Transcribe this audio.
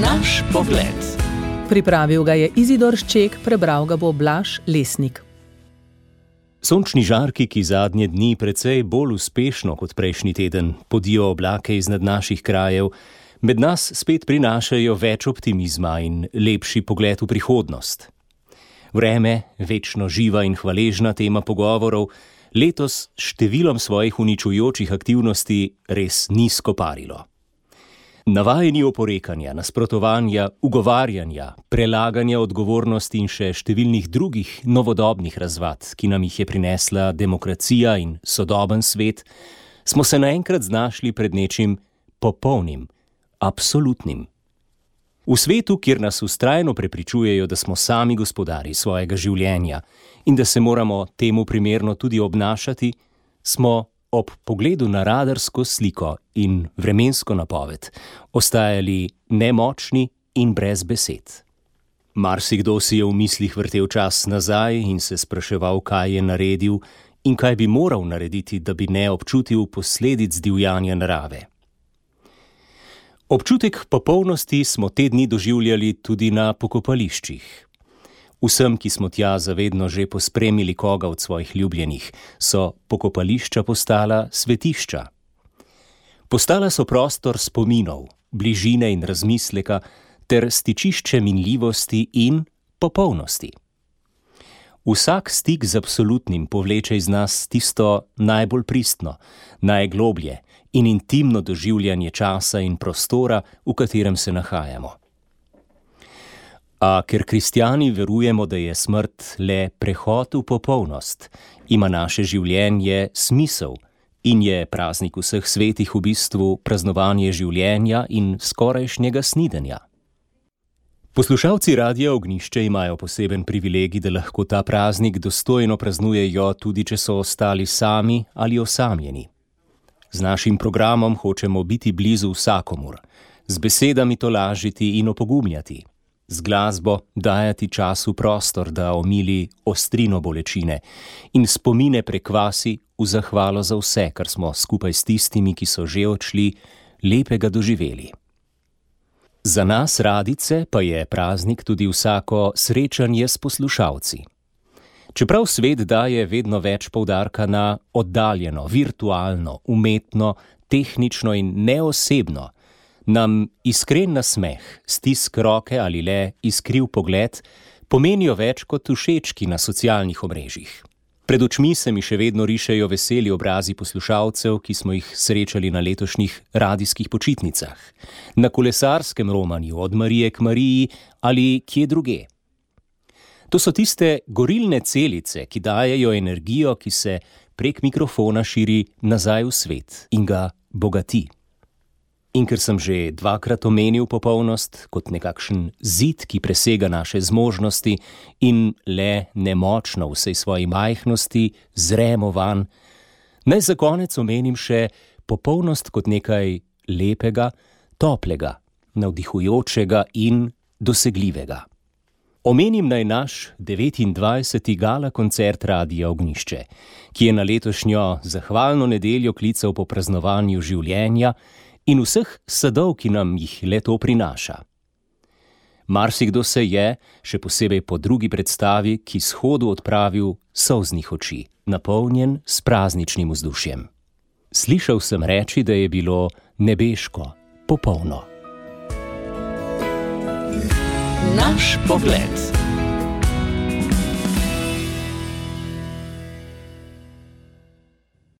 Naš pogled. Pripravil ga je Izidor Šček, prebral ga bo Blaž Lesnik. Sončni žarki, ki zadnje dni precej bolj uspešno kot prejšnji teden podijo oblake iznad naših krajev, med nas spet prinašajo več optimizma in lepši pogled v prihodnost. Vreme, večno živa in hvaležna tema pogovorov, letos s številom svojih uničujočih aktivnosti res ni skoparilo. Navajeni oporekanja, nasprotovanja, ugovarjanja, prelaganja odgovornosti in še številnih drugih novodobnih razvad, ki nam jih je prinesla demokracija in sodoben svet, smo se naenkrat znašli pred nečim popolnim, absolutnim. V svetu, kjer nas vztrajno prepričujejo, da smo sami gospodarji svojega življenja in da se moramo temu primerno tudi obnašati, smo ob pogledu na radarsko sliko in vremensko napoved ostajali nemočni in brez besed. Marsikdo si je v mislih vrtel čas nazaj in se spraševal, kaj je naredil in kaj bi moral narediti, da bi ne občutil posledic divjanja narave. Občutek popolnosti smo te dni doživljali tudi na pokopališčih. Vsem, ki smo tja zavedno že pospremili koga od svojih ljubljenih, so pokopališča postala svetišča. Postala so prostor spominov, bližine in razmisleka ter stičišče minljivosti in popolnosti. Vsak stik z absolutnim povleče iz nas tisto najbolj pristno, najgloblje in intimno doživljanje časa in prostora, v katerem se nahajamo. A ker kristjani verujemo, da je smrt le prehod v popolnost, ima naše življenje smisel in je praznik vseh svetih v bistvu praznovanje življenja in skorajšnjega snidenja. Poslušalci Radia Ognjišče imajo poseben privilegij, da lahko ta praznik dostojno praznujejo, tudi če so ostali sami ali osamljeni. Z našim programom hočemo biti blizu vsakomur, z besedami tolažiti in opogumljati, z glasbo dajati času prostor, da omili ostrino bolečine in spomine prekvasi v zahvalo za vse, kar smo skupaj s tistimi, ki so že odšli, lepega doživeli. Za nas radice pa je praznik tudi vsako srečanje s poslušalci. Čeprav svet daje vedno več poudarka na oddaljeno, virtualno, umetno, tehnično in neosebno, nam iskren nasmeh, stisk roke ali le iskriv pogled pomenijo več kot všečki na socialnih omrežjih. Pred očmi se mi še vedno rišejo veseli obrazi poslušalcev, ki smo jih srečali na letošnjih radijskih počitnicah, na kolesarskem romanju od Marije k Mariji ali kje druge. To so tiste gorilne celice, ki dajejo energijo, ki se prek mikrofona širi nazaj v svet in ga bogati. In ker sem že dvakrat omenil popolnost kot nekakšen zid, ki presega naše zmožnosti in le nemočno v vsej svoji majhnosti zremo van, naj za konec omenim še popolnost kot nekaj lepega, toplega, navdihujočega in dosegljivega. Omenim naj naš 29. gala koncert Radia Ognjišče, ki je na letošnjo zahvalno nedeljo klical po praznovanju življenja in vseh sadov, ki nam jih le-to prinaša. Marsikdo se je, še posebej po drugi predstavi, k izhodu odpravil solznih oči, napolnjen s prazničnim vzdušjem. Slišal sem reči, da je bilo nebeško, popolno. Naš pogled.